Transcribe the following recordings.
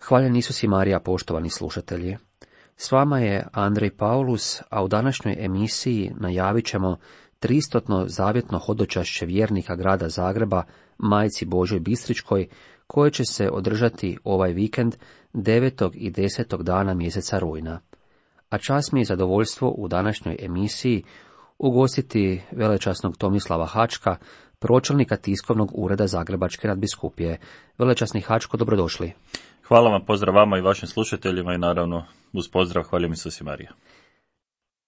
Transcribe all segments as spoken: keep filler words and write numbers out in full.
Hvaljen Isus i Marija, poštovani slušatelji. S vama je Andrej Paulus, a u današnjoj emisiji najavit ćemo tristotno zavjetno hodočašće vjernika grada Zagreba, Majci Božoj Bistričkoj, koje će se održati ovaj vikend devetog i desetog dana mjeseca rujna. A čast mi je zadovoljstvo u današnjoj emisiji ugostiti velečasnog Tomislava Hačka, pročelnika tiskovnog ureda Zagrebačke nadbiskupije. Velečasni Hačko, dobrodošli. Hvala vam, pozdrav vama i vašim slušateljima i naravno uz pozdrav hvaljen Isus i Marija.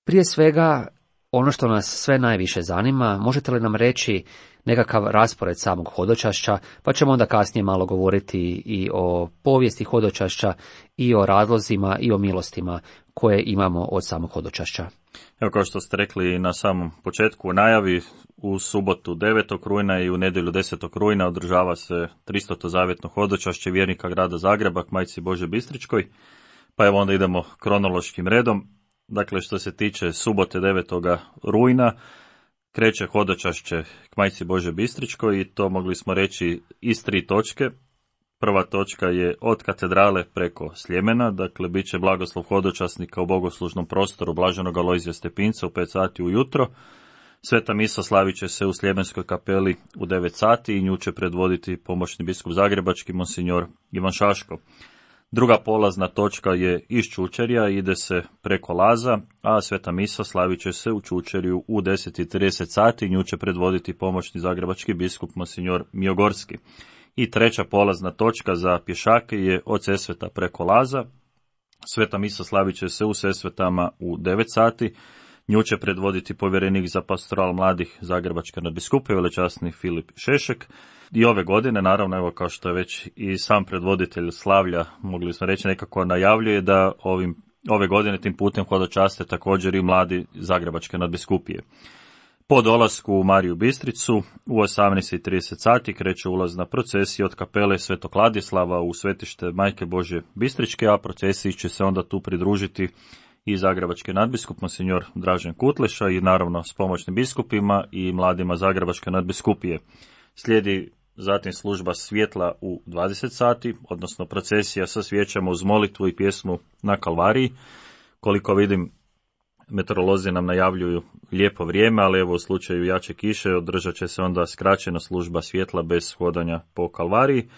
Prije svega, ono što nas sve najviše zanima, možete li nam reći nekakav raspored samog hodočašća, pa ćemo onda kasnije malo govoriti i o povijesti hodočašća, i o razlozima, i o milostima koje imamo od samog hodočašća. Evo, kao što ste rekli na samom početku u najavi, u subotu devetog rujna i u nedjelju desetog rujna održava se tristoto zavjetno hodočašće vjernika grada Zagreba k Majci Božoj Bistričkoj, pa evo onda idemo kronološkim redom. Dakle, što se tiče subote devetog rujna, kreće hodočašće k Majci Božoj Bistričkoj i to mogli smo reći iz tri točke. Prva točka je od katedrale preko Sljemena, dakle bit će blagoslov hodočasnika u bogoslužnom prostoru Blaženog Alojzija Stepinca u pet sati ujutro. Sveta misa slavit će se u Sljemenskoj kapeli u devet sati i nju će predvoditi pomoćni biskup zagrebački monsinjor Ivan Šaško. Druga polazna točka je iz Čučerja, ide se preko Laza, a sveta misa slavit će se u Čučerju u deset i trideset sati i nju će predvoditi pomoćni zagrebački biskup monsinjor Mijogorski. I treća polazna točka za pješake je od Sesveta preko Laza. Sveta misa slavit će se u Sesvetama u devet sati. Nju će predvoditi povjerenik za pastoral mladih Zagrebačke nadbiskupije, velečasni Filip Šešek. I ove godine, naravno, evo kao što je već i sam predvoditelj slavlja, mogli smo reći, nekako najavljuje da ovim, ove godine tim putem hodočaste također i mladi Zagrebačke nadbiskupije. Po dolasku u Mariju Bistricu u osamnaest i trideset sati kreće ulazna procesija od kapele Svetog Ladislava u svetište Majke Božje Bistričke, a procesiji će se onda tu pridružiti i zagrebački nadbiskup monsinjor Dražen Kutleša i naravno s pomoćnim biskupima i mladima Zagrebačke nadbiskupije. Slijedi zatim služba svjetla u dvadeset sati, odnosno procesija sa svijećama uz molitvu i pjesmu na Kalvariji. Koliko vidim, meteorolozi nam najavljuju lijepo vrijeme, ali evo u slučaju jače kiše održat će se onda skraćena služba svjetla bez hodanja po Kalvariji,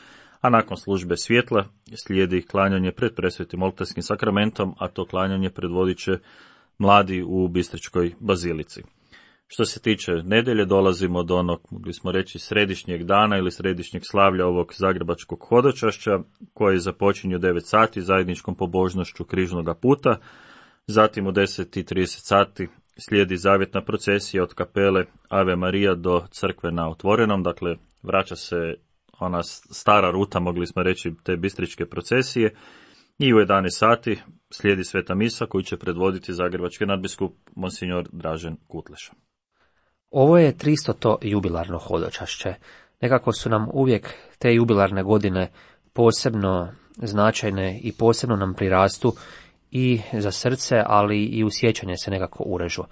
a nakon službe svjetla slijedi klanjanje pred presvetim oltarskim sakramentom, a to klanjanje predvodit će mladi u Bistričkoj bazilici. Što se tiče nedjelje, dolazimo do onog, mogli smo reći, središnjeg dana ili središnjeg slavlja ovog zagrebačkog hodočašća, koji započinje u devet sati zajedničkom pobožnošću križnoga puta. Zatim u deset i trideset sati slijedi zavjetna procesija od kapele Ave Marija do crkve na Otvorenom, dakle vraća se ona stara ruta, mogli smo reći, te bistričke procesije. I u jedanaest sati slijedi sveta misa koju će predvoditi zagrebački nadbiskup monsinjor Dražen Kutleša. Ovo je tristoto jubilarno hodočašće. Nekako su nam uvijek te jubilarne godine posebno značajne i posebno nam prirastu i za srce, ali i u sjećanje se nekako urežu.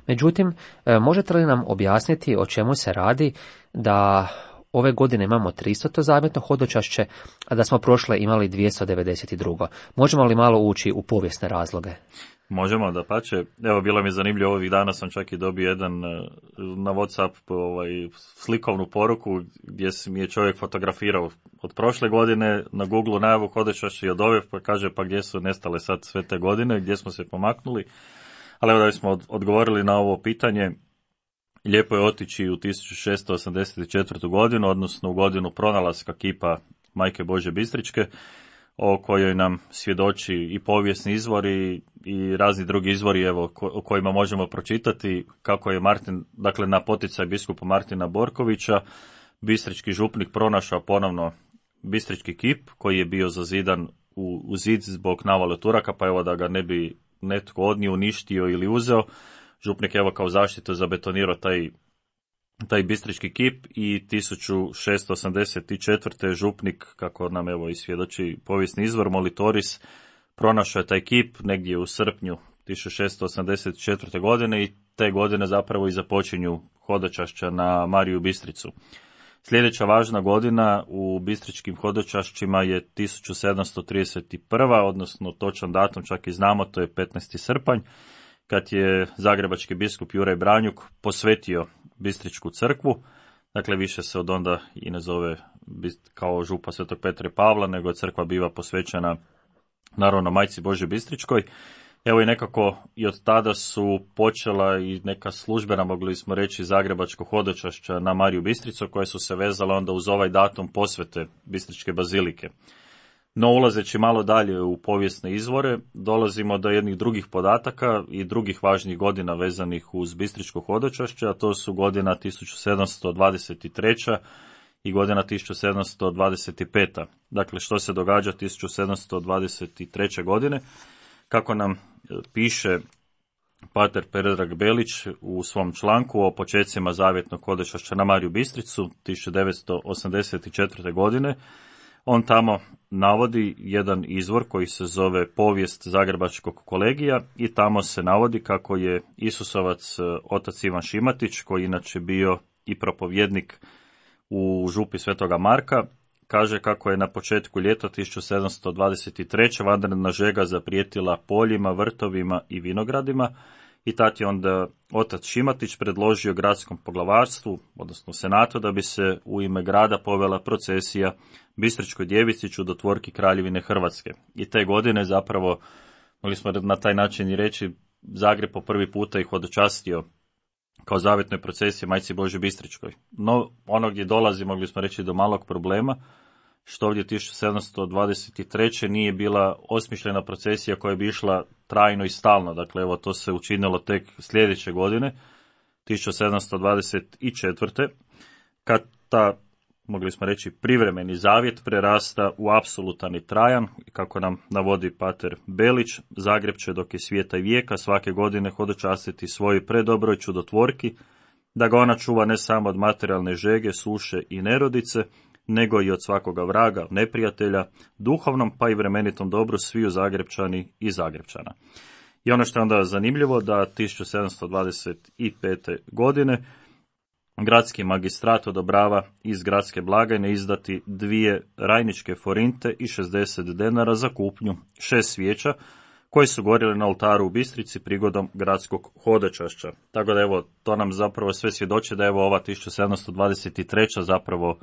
Međutim, možete li nam objasniti o čemu se radi da ove godine imamo tristoto zavjetno hodočašće, a da smo prošle imali dvjesto devedeset dva. Možemo li malo ući u povijesne razloge? Možemo, dapače. Evo, bilo mi je zanimljivo, ovih dana sam čak i dobio jedan na WhatsApp ovaj, slikovnu poruku gdje mi je čovjek fotografirao od prošle godine na Google najavu hodočašća i od ove, pa kaže pa gdje su nestale sad sve te godine, gdje smo se pomaknuli. Ali evo da smo odgovorili na ovo pitanje, lijepo je otići u tisuću šesto osamdeset četvrtu. godinu, odnosno u godinu pronalaska kipa Majke Božje Bistričke, o kojoj nam svjedoči i povijesni izvori i razni drugi izvori, evo, o kojima možemo pročitati kako je Martin, dakle na poticaj biskupa Martina Borkovića, bistrički župnik pronašao ponovno bistrički kip koji je bio zazidan u, u zid zbog navale Turaka, pa evo da ga ne bi netko odnio, uništio ili uzeo. Župnik evo kao zaštitu zabetonirao taj, taj bistrički kip i tisuću šesto osamdeset četvrte. župnik, kako nam evo i svjedoči povijesni izvor, Molitoris, pronašao je taj kip negdje u srpnju tisuću šesto osamdeset četvrte. godine i te godine zapravo i započinju hodočašća na Mariju Bistricu. Sljedeća važna godina u bistričkim hodočašćima je tisuću sedamsto trideset prva. odnosno točan datum čak i znamo, to je petnaesti srpanj, kad je zagrebački biskup Juraj Branjuk posvetio Bistričku crkvu. Dakle, više se od onda i ne zove kao župa Svetog Petra i Pavla, nego crkva biva posvećena naravno Majci Božjoj Bistričkoj. Evo i nekako i od tada su počela i neka službena, mogli smo reći, zagrebačko hodočašća na Mariju Bistricu, koje su se vezale onda uz ovaj datum posvete Bistričke bazilike. No, ulazeći malo dalje u povijesne izvore, dolazimo do jednih drugih podataka i drugih važnih godina vezanih uz Bistričko hodočašće, a to su godina tisuću sedamsto dvadeset treća i godina tisuću sedamsto dvadeset peta. Dakle, što se događa tisuću sedamsto dvadeset treće. godine? Kako nam piše pater Predrag Belić u svom članku o počecima zavjetnog hodočašća na Mariju Bistricu tisuću devetsto osamdeset četvrte. godine, on tamo navodi jedan izvor koji se zove Povijest Zagrebačkog kolegija i tamo se navodi kako je Isusovac otac Ivan Šimatić, koji inače bio i propovjednik u župi Svetoga Marka, kaže kako je na početku ljeta tisuću sedamsto dvadeset treće. vanredna žega zaprijetila poljima, vrtovima i vinogradima i tad je onda otac Šimatić predložio gradskom poglavarstvu, odnosno senatu, da bi se u ime grada povela procesija Bistričkoj djevici čudotvorki Kraljevine Hrvatske. I te godine zapravo, mogli smo na taj način i reći, Zagreb po prvi puta ih hodočastio kao zavjetnoj procesiji Majci Božjoj Bistričkoj. No, ono gdje dolazi, mogli smo reći, do malog problema, što ovdje tisuću sedamsto dvadeset treće. nije bila osmišljena procesija koja bi išla trajno i stalno. Dakle, evo, to se učinilo tek sljedeće godine, tisuću sedamsto dvadeset četvrte. kad ta, mogli smo reći, privremeni zavjet prerasta u apsolutan i trajan, kako nam navodi pater Belić, Zagreb će dok je svijeta i vijeka svake godine hodočastiti svojoj predobroj čudotvorki, da ga ona čuva ne samo od materijalne žege, suše i nerodice, nego i od svakoga vraga, neprijatelja, duhovnom pa i vremenitom dobru sviju Zagrebčani i Zagrebčana. I ono što je onda zanimljivo, da tisuću sedamsto dvadeset pete. godine gradski magistrat odobrava iz gradske blagajne izdati dvije rajničke forinte i šezdeset denara za kupnju šest svijeća koje su gorjele na oltaru u Bistrici prigodom gradskog hodočašća. Tako da evo, to nam zapravo sve svjedoči da evo ova tisuću sedamsto dvadeset treća. zapravo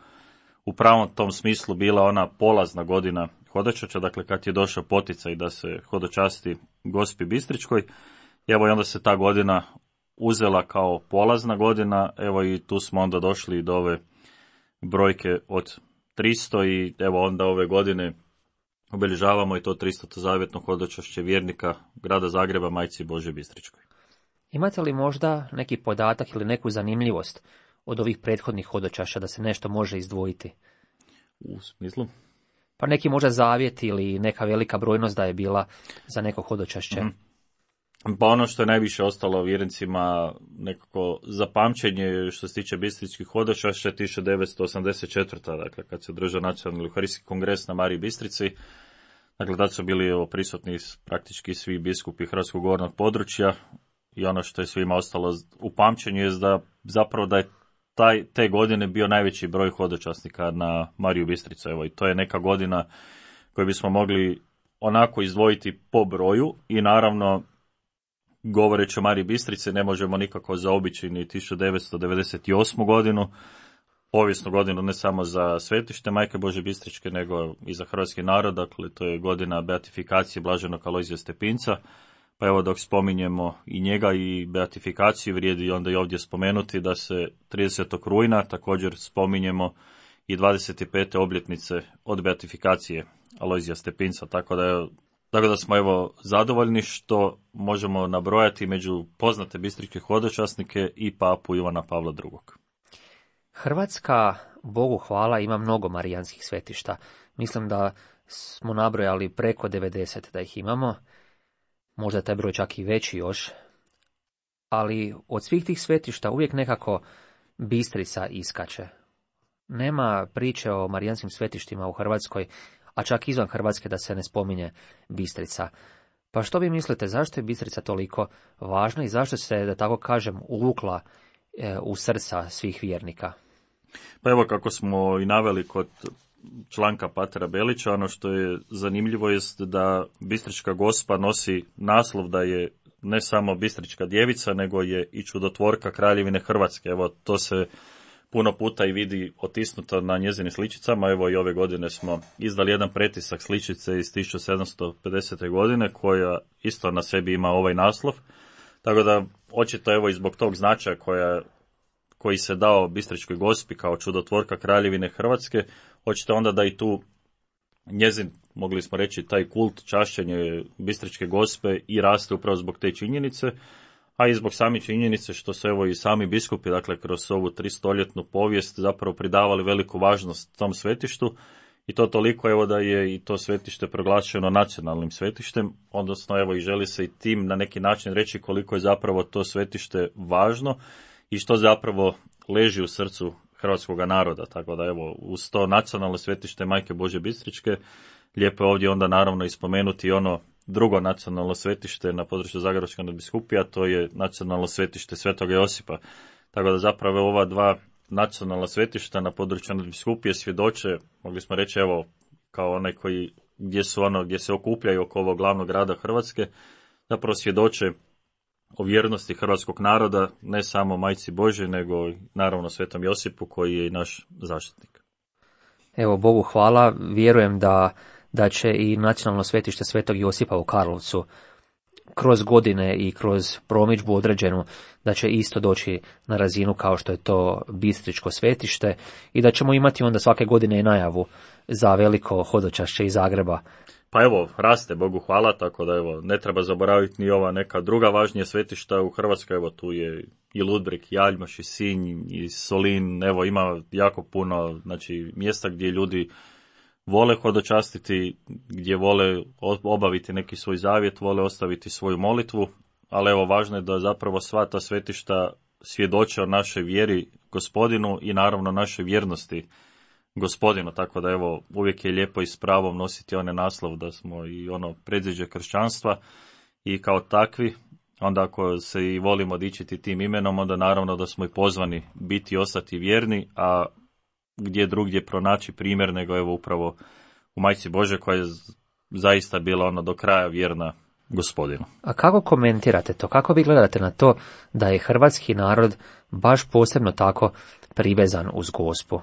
u pravom tom smislu bila ona polazna godina hodočašća, dakle kad je došao poticaj da se hodočasti Gospi Bistričkoj. Evo i onda se ta godina uzela kao polazna godina, evo i tu smo onda došli do ove brojke od tristo i evo onda ove godine obilježavamo i to tristoto zavjetno hodočašće vjernika grada Zagreba Majci Božjoj Bistričkoj. Imate li možda neki podatak ili neku zanimljivost od ovih prethodnih hodočašća da se nešto može izdvojiti? U smislu? Pa neki možda zavjet ili neka velika brojnost da je bila za neko hodočašće. Mm-hmm. Pa ono što je najviše ostalo vjernicima nekako zapamćenje što se tiče bistričkih hodočašća tisuću devetsto osamdeset četvrte. dakle kad se održao nacionalni euharistijski kongres na Mariji Bistrici. Dakle, tad su bili evo, prisutni praktički svi biskupi Hrvatskog gornog područja i ono što je svima ostalo u pamćenju je da zapravo da je taj, te godine bio najveći broj hodočasnika na Mariju Bistricu. Evo, i to je neka godina koju bismo mogli onako izdvojiti po broju i naravno govoreći o Mariji Bistrici ne možemo nikako zaobići ni tisuću devetsto devedeset osmu. godinu, povijesnu godinu ne samo za svetište Majke Božje Bistričke, nego i za hrvatski narod. Dakle, to je godina beatifikacije blaženog Alojzija Stepinca. Pa evo dok spominjemo i njega i beatifikaciju, vrijedi onda i ovdje spomenuti da se tridesetog rujna također spominjemo i dvadeset pete obljetnice od beatifikacije Alojzija Stepinca, tako da je Tako da smo evo zadovoljni što možemo nabrojati među poznate bistričke hodočasnike i papu Ivana Pavla drugog. Hrvatska, Bogu hvala, ima mnogo marijanskih svetišta. Mislim da smo nabrojali preko devedeset da ih imamo. Možda je taj broj čak i veći još. Ali od svih tih svetišta uvijek nekako Bistrica iskače. Nema priče o marijanskim svetištima u Hrvatskoj, a čak izvan Hrvatske da se ne spominje Bistrica. Pa što vi mislite, zašto je Bistrica toliko važna i zašto se, da tako kažem, uvukla e, u srca svih vjernika? Pa evo kako smo i naveli kod članka Patera Belića, ono što je zanimljivo jest da Bistrička Gospa nosi naslov da je ne samo Bistrička djevica, nego je i čudotvorka Kraljevine Hrvatske. Evo, to se puno puta i vidi otisnuto na njezinim sličicama. Evo i ove godine smo izdali jedan pretisak sličice iz tisuću sedamsto pedesete. godine koja isto na sebi ima ovaj naslov. Tako da očito evo i zbog tog značaja koja, koji se dao Bistričkoj Gospi kao čudotvorka Kraljevine Hrvatske, očito onda da i tu njezin, mogli smo reći, taj kult čašćenje Bistričke Gospe i raste upravo zbog te činjenice, a i zbog same činjenice što se evo i sami biskupi, dakle kroz ovu tristoljetnu povijest zapravo pridavali veliku važnost tom svetištu i to toliko evo da je i to svetište proglašeno nacionalnim svetištem, odnosno evo i želi se i tim na neki način reći koliko je zapravo to svetište važno i što zapravo leži u srcu hrvatskog naroda, tako da evo uz to nacionalno svetište Majke Božje Bistričke, lijepo je ovdje onda naravno ispomenuti ono drugo nacionalno svetište na području Zagrebačke nadbiskupije, to je nacionalno svetište Svetog Josipa. Tako da zapravo ova dva nacionalna svetišta na području nadbiskupije svjedoče, mogli smo reći evo kao onaj koji gdje su ono gdje se okupljaju oko ovog glavnog grada Hrvatske, zapravo svjedoče o vjernosti hrvatskog naroda, ne samo Majci Božjoj, nego naravno Svetom Josipu koji je i naš zaštitnik. Evo, Bogu hvala, vjerujem da, da će i nacionalno svetište Svetog Josipa u Karlovcu kroz godine i kroz promidžbu određenu, da će isto doći na razinu kao što je to Bistričko svetište i da ćemo imati onda svake godine i najavu za veliko hodočašće iz Zagreba. Pa evo, raste, Bogu hvala, tako da evo, ne treba zaboraviti ni ova neka druga važnija svetišta u Hrvatskoj, evo tu je i Ludbreg, i Aljmaš, i Sinj, i Solin, evo ima jako puno, znači, mjesta gdje ljudi vole hodočastiti, gdje vole obaviti neki svoj zavjet, vole ostaviti svoju molitvu, ali evo, važno je da zapravo sva ta svetišta svjedoče o našoj vjeri Gospodinu i naravno našoj vjernosti Gospodinu, tako da evo uvijek je lijepo i s pravom nositi onaj naslov da smo i ono predziđe kršćanstva i kao takvi, onda ako se i volimo dičiti tim imenom, onda naravno da smo i pozvani biti i ostati vjerni, a gdje drugdje pronaći primjer nego evo upravo u Majci Božje koja je zaista bila ono do kraja vjerna Gospodinu. A kako komentirate to? Kako vi gledate na to da je hrvatski narod baš posebno tako privezan uz Gospu?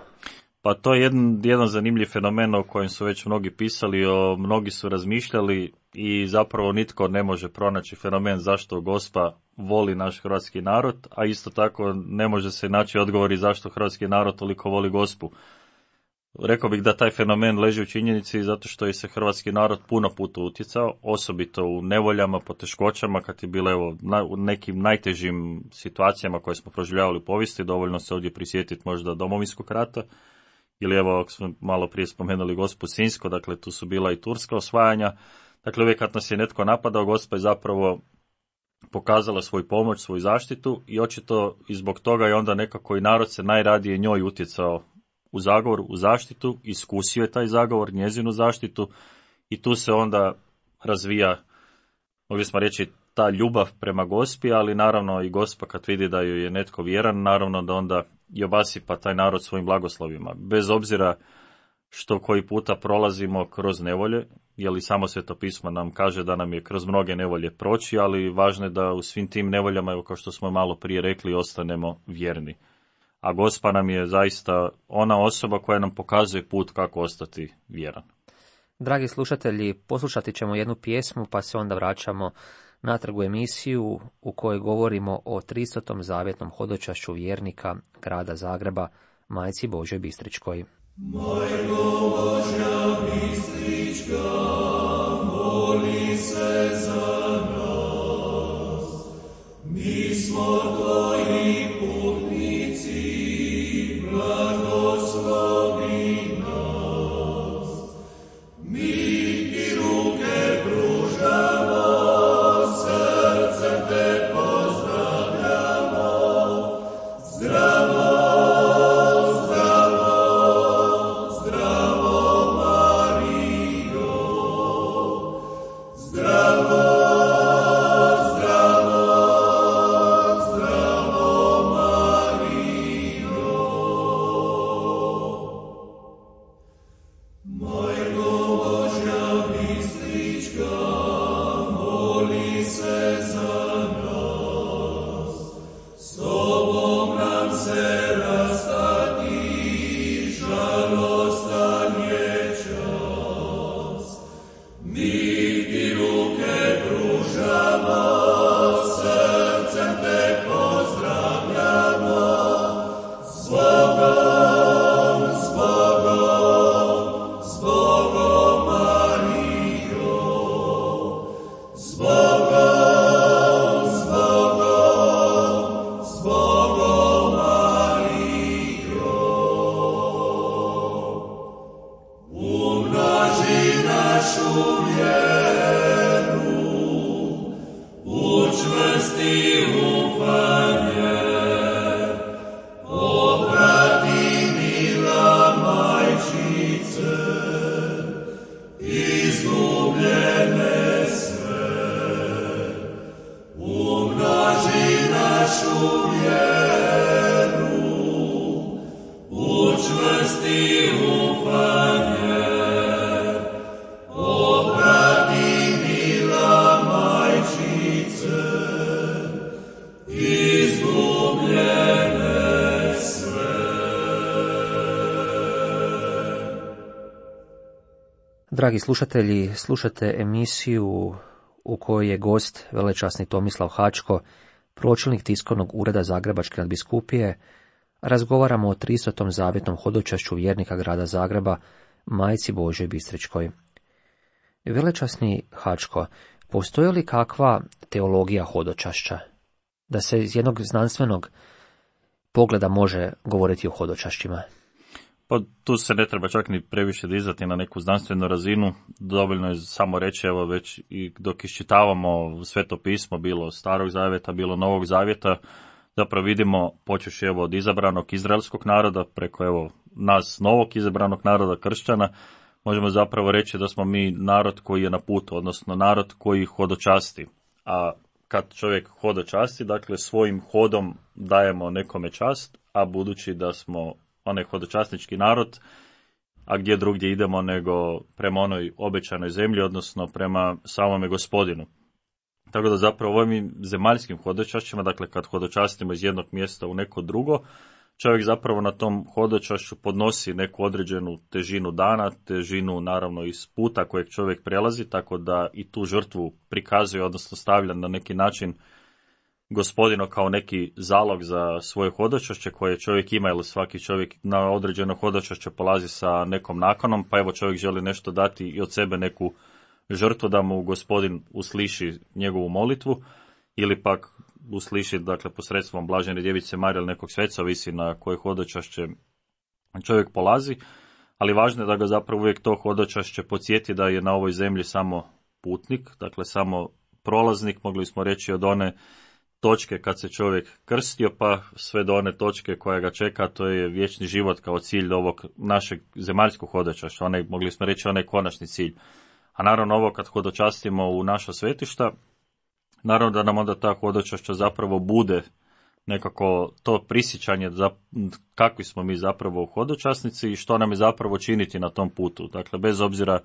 Pa to je jedan, jedan zanimljiv fenomen o kojem su već mnogi pisali, o mnogi su razmišljali i zapravo nitko ne može pronaći fenomen zašto Gospa voli naš hrvatski narod, a isto tako ne može se naći odgovori zašto hrvatski narod toliko voli Gospu. Rekao bih da taj fenomen leži u činjenici zato što je se hrvatski narod puno puta utjecao, osobito u nevoljama, poteškoćama, kad je bilo evo, na, u nekim najtežim situacijama koje smo proživljavali u povijesti, dovoljno se ovdje prisjetiti možda Domovinskog rata, ili evo, ako smo malo prije spomenuli Gospu Sinjsko, dakle tu su bila i turska osvajanja. Dakle, uvijek kad nas je netko napadao, Gospa je zapravo pokazala svoju pomoć, svoju zaštitu i očito i zbog toga je onda nekako i narod se najradije njoj utjecao u zagovor, u zaštitu, iskusio je taj zagovor, njezinu zaštitu i tu se onda razvija, mogli smo reći, ta ljubav prema Gospi, ali naravno i Gospa kad vidi da joj je netko vjeran, naravno da onda i obasipa taj narod svojim blagoslovima. Bez obzira što koji puta prolazimo kroz nevolje, jer i samo Sveto pismo nam kaže da nam je kroz mnoge nevolje proći, ali važno je da u svim tim nevoljama, evo kao što smo malo prije rekli, ostanemo vjerni. A Gospa nam je zaista ona osoba koja nam pokazuje put kako ostati vjeran. Dragi slušatelji, poslušati ćemo jednu pjesmu pa se onda vraćamo natrag u emisiju u kojoj govorimo o tristotom zavjetnom hodočašću vjernika grada Zagreba, Majci Božjoj Bistričkoj. Majko Božja Bistrička, moli se za nas, mi smo tvoji putnici, blagoslovi nas, mi ti ruke pružamo, srcem te pozdravljamo, zdravo, zdravo, zdravo Marijo, zdravo, zdravo, zdravo Dragi slušatelji, slušate emisiju u kojoj je gost velečasni Tomislav Hačko, pročelnik tiskovnog ureda Zagrebačke nadbiskupije. Razgovaramo o tristotom zavjetnom hodočašću vjernika grada Zagreba, Majci Božjoj Bistričkoj. Velečasni Hačko, postoji li kakva teologija hodočašća? Da se iz jednog znanstvenog pogleda može govoriti o hodočašćima? Pa tu se ne treba čak ni previše dizati na neku znanstvenu razinu, dovoljno je samo reći, evo već i dok iščitavamo Sveto pismo, bilo Starog zavjeta, bilo Novog zavjeta, zapravo vidimo, počeš evo od izabranog izraelskog naroda, preko evo nas novog izabranog naroda kršćana, možemo zapravo reći da smo mi narod koji je na putu, odnosno narod koji hodočasti. A kad čovjek hodočasti, dakle svojim hodom dajemo nekome čast, a budući da smo onaj hodočasnički narod, a gdje drugdje idemo nego prema onoj obećanoj zemlji, odnosno prema samome Gospodinu. Tako da zapravo ovim zemaljskim hodočašćima, dakle kad hodočastimo iz jednog mjesta u neko drugo, čovjek zapravo na tom hodočašću podnosi neku određenu težinu dana, težinu naravno iz puta kojeg čovjek prelazi, tako da i tu žrtvu prikazuje, odnosno stavlja na neki način Gospodino kao neki zalog za svoje hodočašće koje čovjek ima, ili svaki čovjek na određeno hodočašće polazi sa nekom nakanom, pa evo čovjek želi nešto dati i od sebe neku žrtvu da mu Gospodin usliši njegovu molitvu, ili pak usliši, dakle, posredstvom Blažene djevice Marije ili nekog sveca, visi na koje hodočašće čovjek polazi, ali važno je da ga zapravo uvijek to hodočašće podsjeti da je na ovoj zemlji samo putnik, dakle samo prolaznik, mogli smo reći od one točke kad se čovjek krstio, pa sve do one točke koja ga čeka, to je vječni život kao cilj ovog našeg zemaljskog hodočašća, onaj, mogli smo reći onaj konačni cilj. A naravno ovo kad hodočastimo u naša svetišta, naravno da nam onda ta hodočašća zapravo bude nekako to prisjećanje za kakvi smo mi zapravo hodočasnici i što nam je zapravo činiti na tom putu. Dakle, bez obzira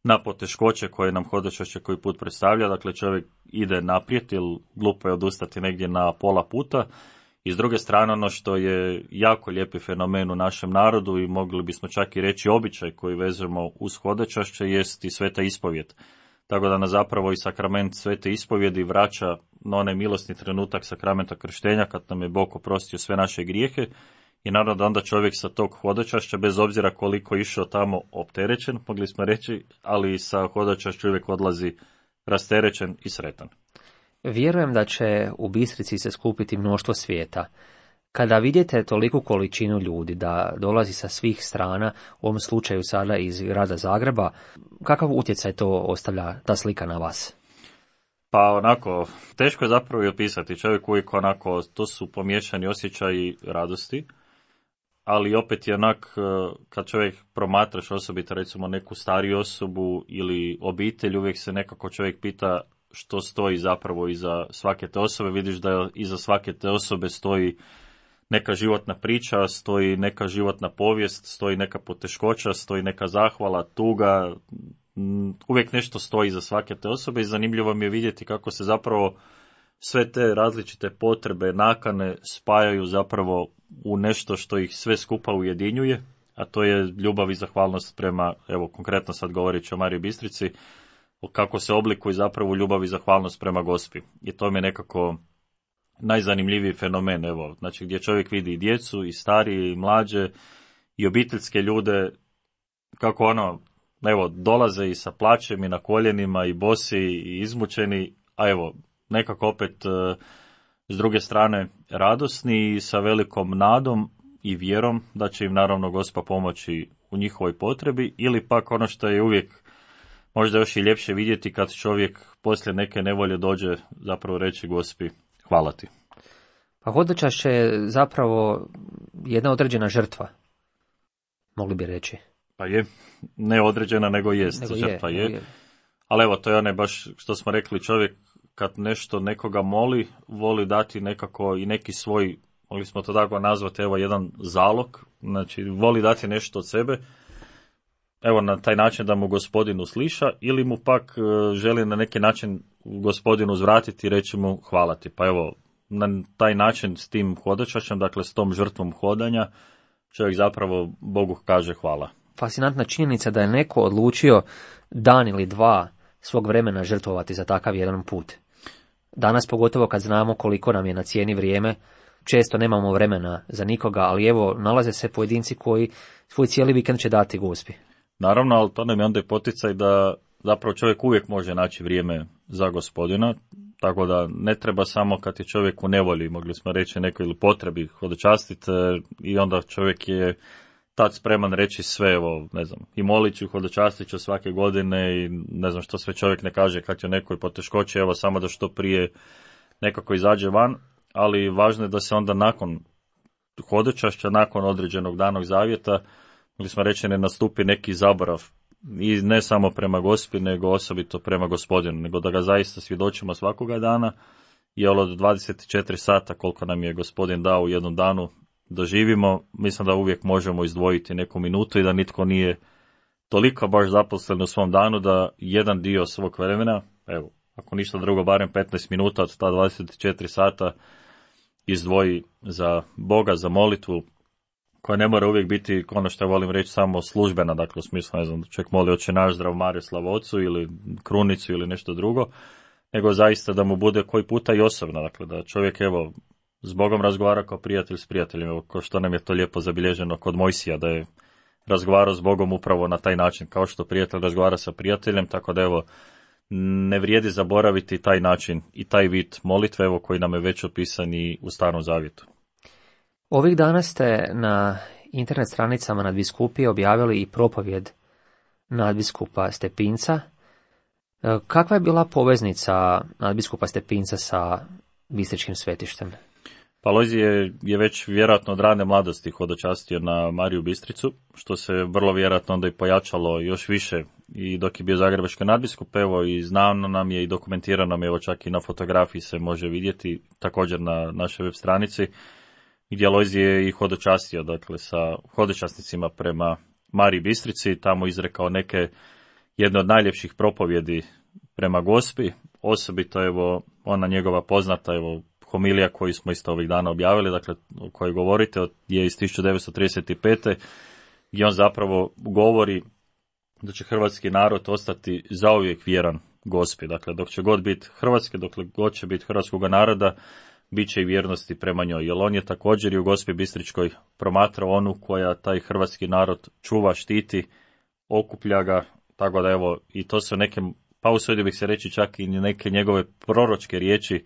na poteškoće koje nam hodočašće koji put predstavlja, dakle čovjek ide naprijed ili glupo je odustati negdje na pola puta. I s druge strane ono što je jako lijepi fenomen u našem narodu i mogli bismo čak i reći običaj koji vezujemo uz hodočašće jest i sveta ispovijed. Tako da nas zapravo i sakrament svete ispovjedi vraća na onaj milosni trenutak sakramenta krštenja kad nam je Bog oprostio sve naše grijehe. I naravno da onda čovjek sa tog hodočašća, bez obzira koliko išao tamo opterećen, mogli smo reći, ali sa hodočašća uvijek odlazi rasterećen i sretan. Vjerujem da će u Bistrici se skupiti mnoštvo svijeta. Kada vidite toliku količinu ljudi da dolazi sa svih strana, u ovom slučaju sada iz grada Zagreba, kakav utjecaj to ostavlja ta slika na vas? Pa onako, teško je zapravo i opisati. Čovjek uvijek onako, to su pomiješani osjećaji radosti, ali opet je onak, kad čovjek promatraš osobito recimo neku stariju osobu ili obitelj, uvijek se nekako čovjek pita što stoji zapravo iza svake te osobe. Vidiš da iza svake te osobe stoji neka životna priča, stoji neka životna povijest, stoji neka poteškoća, stoji neka zahvala, tuga, uvijek nešto stoji iza svake te osobe i zanimljivo mi je vidjeti kako se zapravo sve te različite potrebe, nakane spajaju zapravo u nešto što ih sve skupa ujedinjuje, a to je ljubav i zahvalnost prema, evo konkretno sad govoreći o Mariji Bistrici, kako se oblikuje zapravo ljubav i zahvalnost prema Gospi. I to mi je nekako najzanimljiviji fenomen, evo, znači gdje čovjek vidi i djecu, i starije, i mlađe, i obiteljske ljude, kako ono, evo, dolaze i sa plaćem, i na koljenima, i bosi, i izmučeni, a evo, nekako opet s druge strane radosni i sa velikom nadom i vjerom da će im naravno Gospa pomoći u njihovoj potrebi, ili pak ono što je uvijek možda još i ljepše vidjeti kad čovjek poslije neke nevolje dođe zapravo reći Gospi hvala ti. Pa hodočašće je zapravo jedna određena žrtva, mogli bi reći. Pa je, ne određena nego jest, nego žrtva je, je. je. Ali evo, to je onaj baš što smo rekli, čovjek kad nešto nekoga moli, voli dati nekako i neki svoj, mogli smo to tako nazvati, evo jedan zalog, znači voli dati nešto od sebe, evo na taj način da mu Gospodin usliša, ili mu pak e, želi na neki način Gospodinu uzvratiti i reći mu hvala ti. Pa evo, na taj način s tim hodočašćem, dakle s tom žrtvom hodanja, čovjek zapravo Bogu kaže hvala. Fascinantna činjenica da je neko odlučio dan ili dva svog vremena žrtvovati za takav jedan put. Danas, pogotovo kad znamo koliko nam je na cijeni vrijeme, često nemamo vremena za nikoga, ali evo, nalaze se pojedinci koji svoj cijeli vikend će dati Gospi. Naravno, ali to nam je onda i poticaj da zapravo čovjek uvijek može naći vrijeme za Gospodina, tako da ne treba samo kad je čovjek u nevolji, mogli smo reći nekoj ili potrebi hodočastiti, i onda čovjek je tad spreman reći sve, evo, ne znam, i molit ću, hodočastit ću svake godine i ne znam što sve čovjek ne kaže kad je u nekoj poteškoći, evo samo da što prije nekako izađe van, ali važno je da se onda nakon hodočašća, nakon određenog danog zavjeta, mogli smo reći, ne nastupi neki zaborav, i ne samo prema Gospi, nego osobito prema Gospodinu, nego da ga zaista svjedočimo svakoga dana, i od dvadeset četiri sata koliko nam je Gospodin dao u jednom danu doživimo, mislim da uvijek možemo izdvojiti neku minutu i da nitko nije toliko baš zaposlen u svom danu da jedan dio svog vremena, evo, ako ništa drugo, barem petnaest minuta od ta dvadeset četiri sata izdvoji za Boga, za molitvu, koja ne mora uvijek biti, ono što ja volim reći, samo službena, dakle u smislu, ne znam, čovjek moli Oče naš, Zdrav Mario, Slava Otcu ili krunicu ili nešto drugo, nego zaista da mu bude koji puta i osobno, dakle da čovjek, evo, s Bogom razgovara kao prijatelj s prijateljem, evo, kao što nam je to lijepo zabilježeno kod Mojsija, da je razgovarao s Bogom upravo na taj način, kao što prijatelj razgovara sa prijateljem, tako da evo, ne vrijedi zaboraviti taj način i taj vid molitve, evo, koji nam je već opisan i u Starom Zavjetu. Ovih dana ste na internet stranicama nadbiskupije objavili i propovjed nadbiskupa Stepinca. Kakva je bila poveznica nadbiskupa Stepinca sa Bistričkim svetištem? Pa Alojzije je već vjerojatno od rane mladosti hodočastio na Mariju Bistricu, što se vrlo vjerojatno onda i pojačalo još više i dok je bio zagrebački nadbiskup, evo i znano nam je i dokumentirano nam je, evo čak i na fotografiji se može vidjeti, također na našoj web stranici, gdje Alojzije je i hodočastio, dakle sa hodočasnicima prema Mariji Bistrici, tamo izrekao neke, jedne od najljepših propovjedi prema Gospi, osobito evo ona njegova poznata evo homilija koju smo isto ovih dana objavili, dakle o kojoj govorite, je iz tisuću devetsto trideset pete. gdje on zapravo govori da će hrvatski narod ostati zauvijek vjeran Gospi. Dakle, dok će god biti Hrvatske, dokle god će biti hrvatskoga naroda, bit će i vjernosti prema njoj. Jer on je također i u Gospi Bistričkoj promatrao onu koja taj hrvatski narod čuva, štiti, okuplja ga, tako da evo, i to su neke, pa usudio bih se reći čak i neke njegove proročke riječi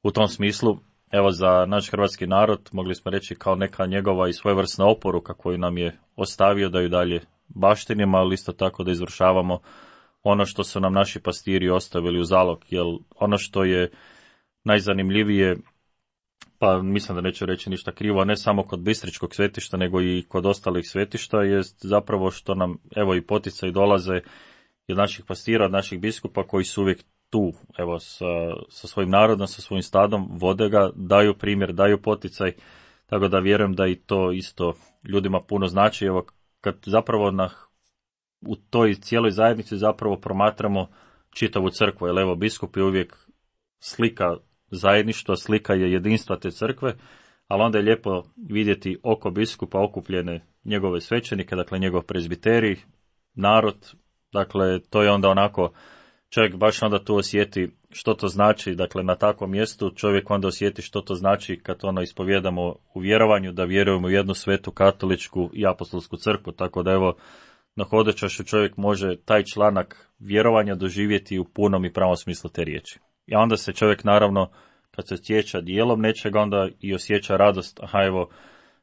u tom smislu. Evo, za naš hrvatski narod mogli smo reći kao neka njegova i svojevrsna oporuka koju nam je ostavio da ju dalje baštinimo, ali isto tako da izvršavamo ono što su nam naši pastiri ostavili u zalog. Jer ono što je najzanimljivije, pa mislim da neću reći ništa krivo, ne samo kod Bistričkog svetišta, nego i kod ostalih svetišta, jest zapravo što nam, evo, i poticaj dolaze od naših pastira, od naših biskupa koji su uvijek tu, evo, sa, sa svojim narodom, sa svojim stadom, vode ga, daju primjer, daju poticaj, tako da vjerujem da i to isto ljudima puno znači. Evo, kad zapravo na, u toj cijeloj zajednici zapravo promatramo čitavu crkvu, jer evo, biskup je uvijek slika zajedništva, slika je jedinstva te crkve, ali onda je lijepo vidjeti oko biskupa okupljene njegove svećenike, dakle njegov prezbiterij, narod, dakle to je onda onako, čovjek baš onda tu osjeti što to znači, dakle na takvom mjestu čovjek onda osjeti što to znači kad ono ispovjedamo u vjerovanju, da vjerujemo u jednu svetu katoličku i apostolsku crkvu, tako da evo na hodočašću čovjek može taj članak vjerovanja doživjeti u punom i pravom smislu te riječi. I onda se čovjek naravno, kad se osjeća dijelom nečega, onda i osjeća radost, aha evo,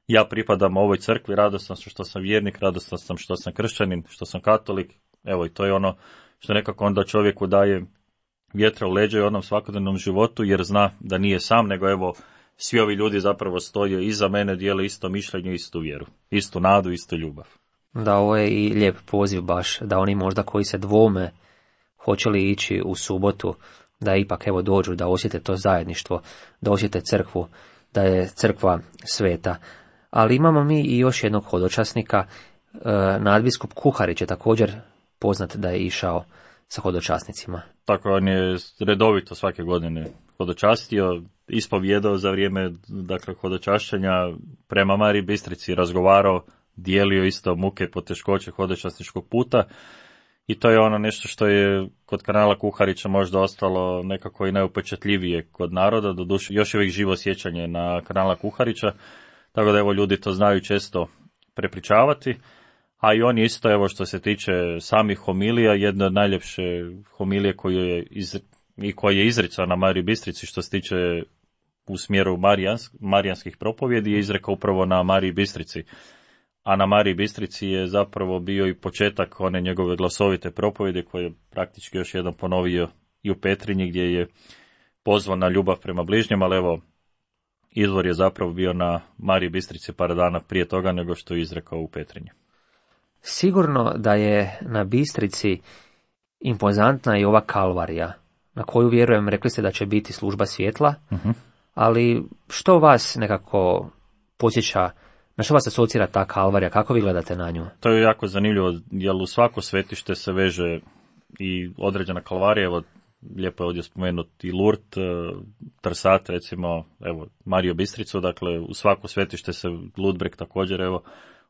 ja pripadam ovoj crkvi, radostan sam što sam vjernik, radostan sam što sam kršćanin, što sam katolik, evo i to je ono što nekako onda čovjeku daje vjetra u leđa i onom svakodnevnom životu, jer zna da nije sam, nego evo, svi ovi ljudi zapravo stoje iza mene, dijele isto mišljenje, istu vjeru, istu nadu, istu ljubav. Da, ovo je i lijep poziv baš, da oni možda koji se dvome hoće li ići u subotu, da ipak evo dođu, da osjete to zajedništvo, da osjete crkvu, da je crkva sveta. Ali imamo mi i još jednog hodočasnika, nadbiskup Kuharić je također poznat da je išao sa hodočasnicima. Tako, on je redovito svake godine hodočastio, ispovjedao za vrijeme dakle, hodočašćenja prema Mariji Bistrici, razgovarao, dijelio isto muke, poteškoće hodočasničkog puta. I to je ono nešto što je kod kardinala Kuharića možda ostalo nekako i najupečatljivije kod naroda, doduše još je uvijek živo sjećanje na kardinala Kuharića, tako da evo ljudi to znaju često prepričavati, a i on je isto, evo što se tiče samih homilija, jedna od najljepše homilije koju je iz, i koji je izricao na Mariji Bistrici što se tiče u smjeru Marijans, marijanskih propovjedi je izrekao upravo na Mariji Bistrici. A na Mariji Bistrici je zapravo bio i početak one njegove glasovite propovjede koje je praktički još jedan ponovio i u Petrinji gdje je pozvan na ljubav prema bližnjem, ali evo izvor je zapravo bio na Mariji Bistrici par dana prije toga nego što je izrekao u Petrinji. Sigurno da je na Bistrici impozantna i ova kalvarija, na koju vjerujem, rekli ste da će biti služba svjetla, uh-huh. ali što vas nekako podsjeća, na što vas asocira ta kalvarija, kako vi gledate na nju? To je jako zanimljivo, jer u svako svetište se veže i određena kalvarija, evo lijepo je ovdje spomenuti i Lurt, Trsat, recimo, evo, Mariju Bistricu, dakle u svako svetište se, Ludbreg također, evo,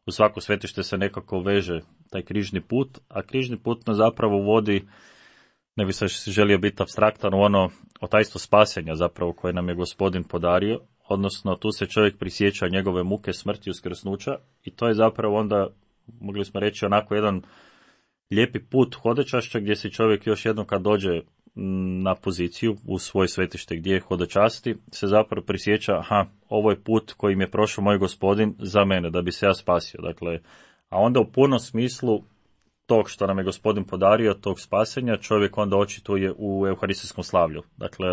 u svako svetište se nekako veže taj križni put, a križni put nas zapravo vodi, ne bi se želio biti apstraktan, u ono o tajstvo spasenja zapravo koje nam je Gospodin podario, odnosno tu se čovjek prisjeća njegove muke, smrti i uskrsnuća i to je zapravo onda, mogli smo reći, onako jedan lijepi put hodočašća gdje se čovjek još jednom kad dođe na poziciju u svoje svetište gdje je hodočasti, se zapravo prisjeća, aha, ovo je put kojim je prošao moj Gospodin za mene, da bi se ja spasio. Dakle, a onda u punom smislu tog što nam je Gospodin podario, tog spasenja, čovjek onda očituje u euharistijskom slavlju. Dakle,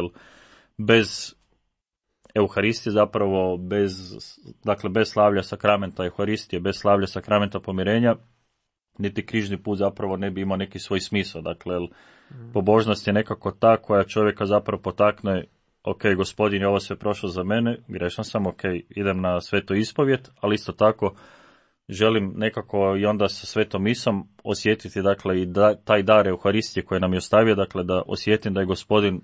bez Euharistije zapravo, bez, dakle, bez slavlja sakramenta Euharistije, bez slavlja sakramenta pomirenja, niti križni put zapravo ne bi imao neki svoj smisao. Dakle, pobožnost je nekako ta koja čovjeka zapravo potakne, ok, Gospodin je ovo sve prošlo za mene, grešan sam, ok, idem na svetu ispovjet, ali isto tako želim nekako i onda sa svetom misom osjetiti, dakle, i da, taj dar Euharistije koji nam je ostavio, dakle, da osjetim da je Gospodin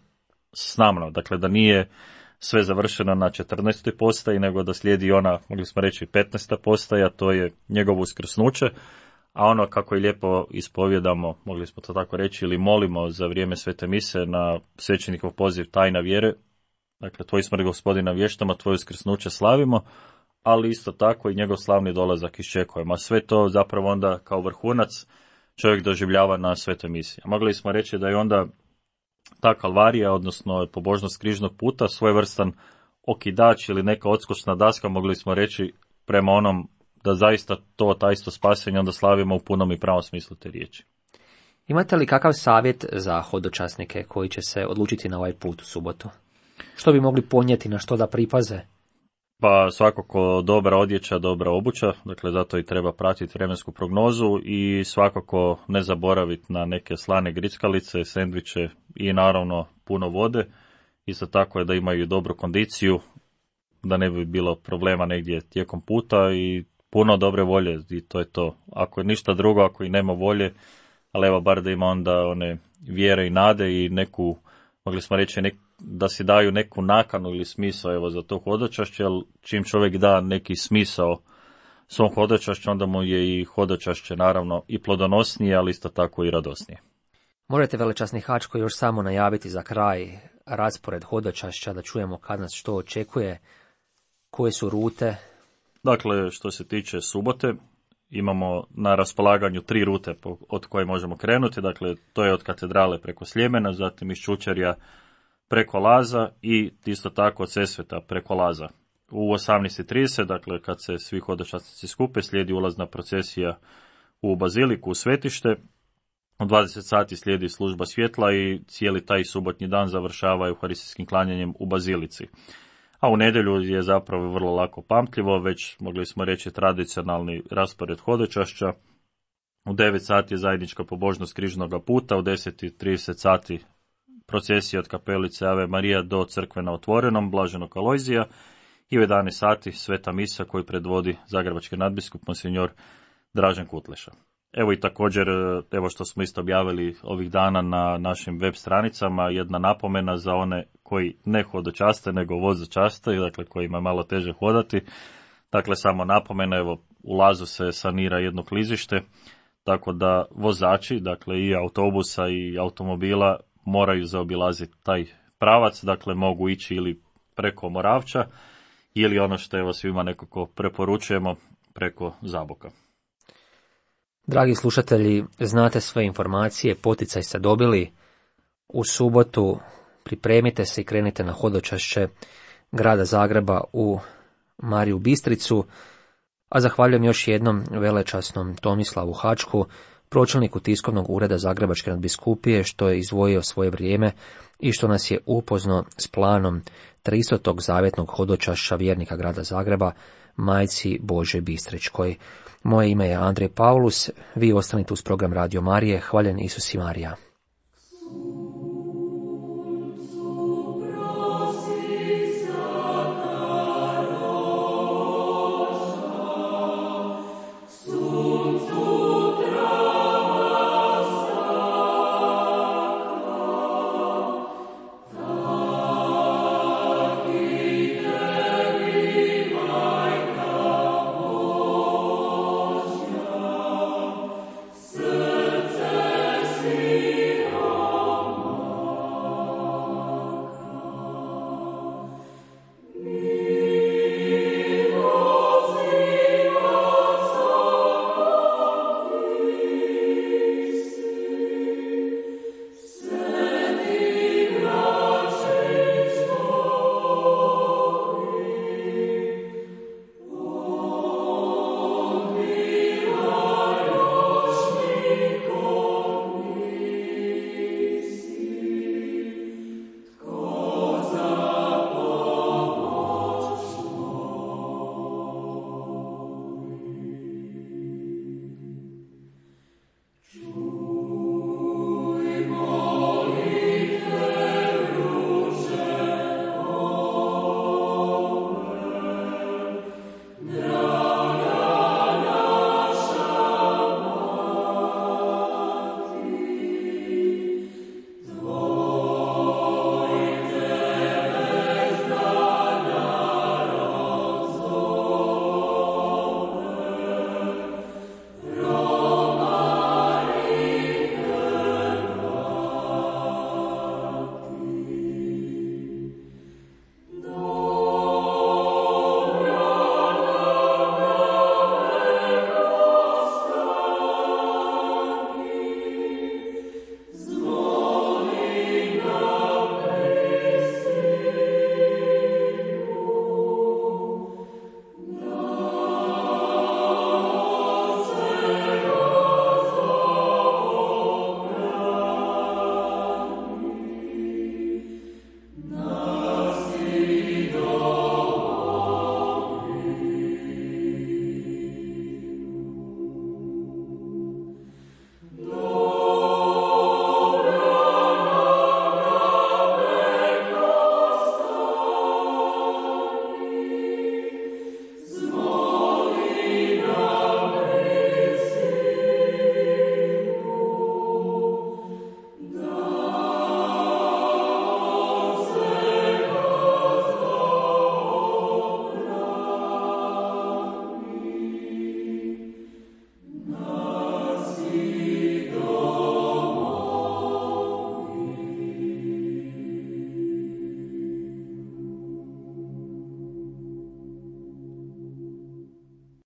s nama, dakle, da nije sve završeno na četrnaestoj postaji, nego da slijedi ona, mogli smo reći, petnaesta postaja, to je njegovo uskrsnuće, a ono kako je lijepo ispovjedamo, mogli smo to tako reći, ili molimo za vrijeme svete mise na svećenikov poziv tajna vjere, dakle, tvoj smrt Gospodina vještamo, tvoje uskrsnuće slavimo, ali isto tako i njegov slavni dolazak iščekujemo. A sve to zapravo onda kao vrhunac čovjek doživljava na svetoj misi. A mogli smo reći da je onda ta kalvarija, odnosno pobožnost križnog puta, svojevrstan okidač ili neka odskočna daska, mogli smo reći, prema onom da zaista to tajstvo spasenja onda slavimo u punom i pravom smislu te riječi. Imate li kakav savjet za hodočasnike koji će se odlučiti na ovaj put u subotu? Što bi mogli ponijeti, na što da pripaze? Pa svakako dobra odjeća, dobra obuća, dakle zato i treba pratiti vremensku prognozu i svakako ne zaboraviti na neke slane grickalice, sendviče i naravno puno vode. Isto tako je da imaju dobru kondiciju, da ne bi bilo problema negdje tijekom puta i puno dobre volje i to je to. Ako je ništa drugo, ako i nema volje, ali evo bar da ima onda one vjere i nade i neku, mogli smo reći, nek, da si daju neku nakanu ili smisao evo za to hodočašće, jer čim čovjek da neki smisao svom hodočašću, onda mu je i hodočašće naravno i plodonosnije, ali isto tako i radosnije. Možete, velečasni Hačko, još samo najaviti za kraj raspored hodočašća, da čujemo kad nas što očekuje, koje su rute? Dakle, što se tiče subote, imamo na raspolaganju tri rute od koje možemo krenuti. Dakle, to je od katedrale preko Sljemena, zatim iz Čučerja preko Laza i isto tako od Sesveta preko Laza. U osamnaest i trideset, dakle, kad se svi hodočasnici skupe, slijedi ulazna procesija u baziliku, u svetište. U dvadeset sati slijedi služba svjetla i cijeli taj subotnji dan završava euharistijskim klanjanjem u bazilici. A u nedjelju je zapravo vrlo lako pamtljivo, već mogli smo reći tradicionalni raspored hodočašća. U devet sati je zajednička pobožnost križnoga puta, u deset i trideset sati procesija od kapelice Ave Marija do crkve na Otvorenom, Blaženog Alojzija, i u jedanaest sati sveta misa koju predvodi zagrebački nadbiskup monsinjor Dražen Kutleša. Evo i također, evo što smo isto objavili ovih dana na našim web stranicama, jedna napomena za one koji ne hodočaste, nego vozočaste, dakle kojima je malo teže hodati. Dakle, samo napomena, evo u Lazu se sanira jedno klizište, tako da vozači, dakle i autobusa i automobila, moraju zaobilaziti taj pravac, dakle mogu ići ili preko Moravča, ili ono što evo svima nekako preporučujemo, preko Zaboka. Dragi slušatelji, znate sve informacije, poticaj ste dobili. U subotu pripremite se i krenite na hodočašće grada Zagreba u Mariju Bistricu, a zahvaljujem još jednom velečasnom Tomislavu Hačku, pročelniku tiskovnog ureda Zagrebačke nadbiskupije, što je izdvojio svoje vrijeme i što nas je upoznao s planom tristotog zavjetnog hodočašća vjernika grada Zagreba, Majci Božoj Bistričkoj. Moje ime je Andrej Paulus, vi ostanite uz program Radio Marije. Hvaljen Isus i Marija.